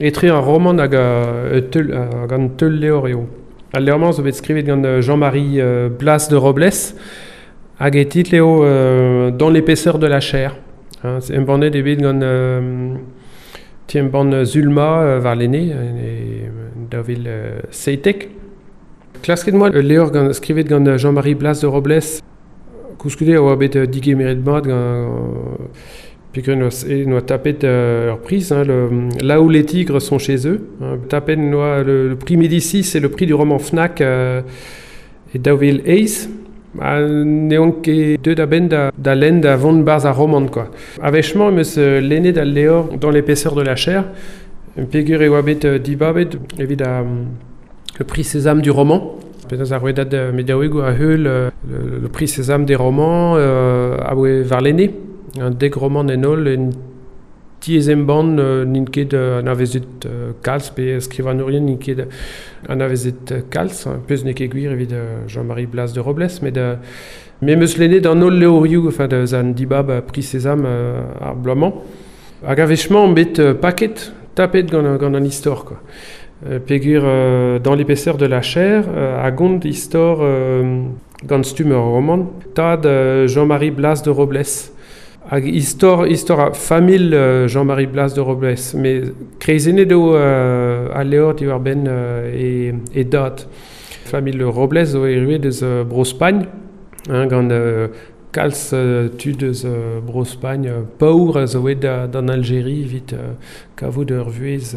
Etre ar romant hag hag an teul levr eo. Al levr-mañ zo bet skrivet gant Jean-Marie Blas de Robles hag e titl eo Dans l'épaisseur de la chair. Hein, embannet eo bet gant ti-embann Zulma warlene e 2017. Klasket 'moa ul levr gant, skrivet gant Jean-Marie Blas de Robles. Koulskoude e oa bet digemeret mat gant peogwir en oa tapet ur priz, hein, le, Là où les tigres sont chez eux. Hein, tapet en oa le prix Médicis et le prix du roman Fnac e 2008. Ha n'eont ket deuet a-benn da lenn da vont 'barzh ar romant quoi. A-wech-mañ em eus lennet al levr Dans l'épaisseur de la chair, peogwir e oa bet dibabet evit le prix Sésame du roman. Penaos ar rouedad mediaouegoù a heul le prix Sésame des romans aboe warlene. Un dek romant en holl en tiez-embann n'int ket anavezet kalz pe skrivagnourien n'int ket anavezet kalz, pezh n'eo ket gwir evit Jean-Marie Blas de Robles, met me 'm eus lennet an holl levrioù enfin deus an dibab Prix Sésame ar bloaz-mañ. Hag a-wech-mañ on bet paket, tapet gant an istor quoi. Peogwir Dans l'épaisseur de la chair a gont istor gant stumm ur romant tad Jean-Marie Blas de Robles. Hag istor ar familh Jean-Marie Blas de Robles, met kreizennet eo al levr diwar-benn e dad. Familh Robles zo erruet eus Bro-Spagn, hein, gant kalz tud eus Bro-Spagn paour a zo aet d'an Aljeria evit kavout ur vuhez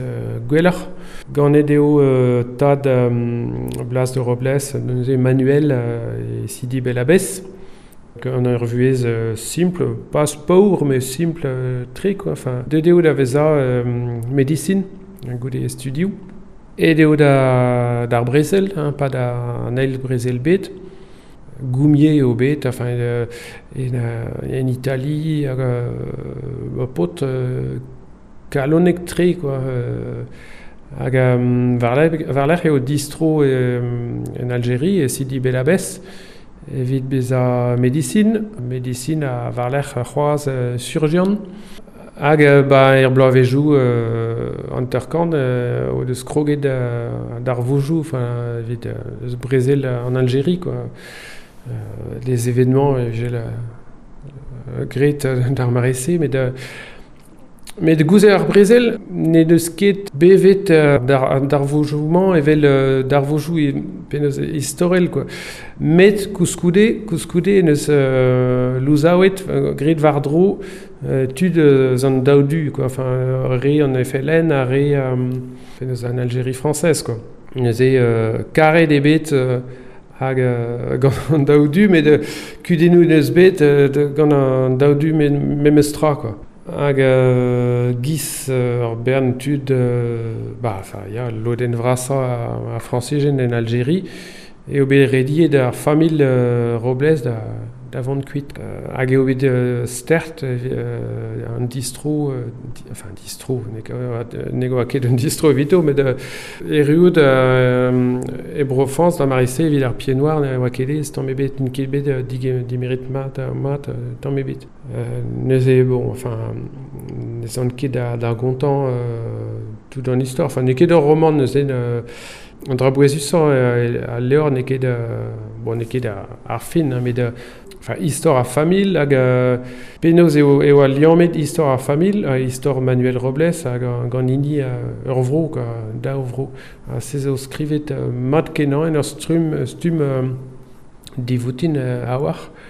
gwelloc'h. Ganet eo tad Blas de Robles, neuze Manuel e Sidi Bel Abbès. Gant ur vuhez simpl, pas paour, met simpl-tre quoi. Enfin, deuet eo da vezañ medisin goude e studioù. Aet eo d'ar brezel, hein, 'pad an eil brezel-bed. Goumier eo bet, enfin, en Itali hag ur paotr kalonek-tre quoi. Hag war-lerc'h eo distro en Aljeria, e Sidi Bel Abbès, evit bezañ medisin, medisin ha war-lerc'h c'hoazh surjian. Hag ba er bloavezhioù 50 o deus kroget darvoudoù enfin, evit eus brezel an Aljeria quoi. Les événements evel graet d'ar mare-se met Met goude ar brezel n'he deus ket bevet an darvoudoù-mañ evel darvoudoù penaos istorel quoi. Met koulskoude en deus louzaouet, graet war-dro tud eus an daou du quoi, enfin re an FLN ha re penaos an Algérie française quoi. Neuze karet eo bet hag gant an daou du met kudennoù en deus bet gant an daou du memes tra quoi. Hag giz ur bern tud, ba enfin ya, lodenn vrasañ ar Frañsizien en Aljeria, eo bet rediet ar familh Robles da vont kuit. Hag eo bet stert an distro, enfin distro, ne oa ket un distro evito, met erruout e Bro-Frañs da mare-se evit ar Pied-Noir ne oa ket aes tamm ebet, n'int ket bet digemeret mat tamm ebet. Neuze bon, enfin, ne zan ket da gontañ tout an istor. Enfin, n'eo ket ur romant neuze. An dra bouezusañ al levr n'eo ket bon, n'eo ket ar fin, hein, met enfin, istor ar familh hag penaos eo al liammet istor ar familh, istor Manuel Robles hag gant hini ur vro, quoi, daou vro. Ha se zo skrivet mat-kenañ en ur stumm divoutin a-walc'h.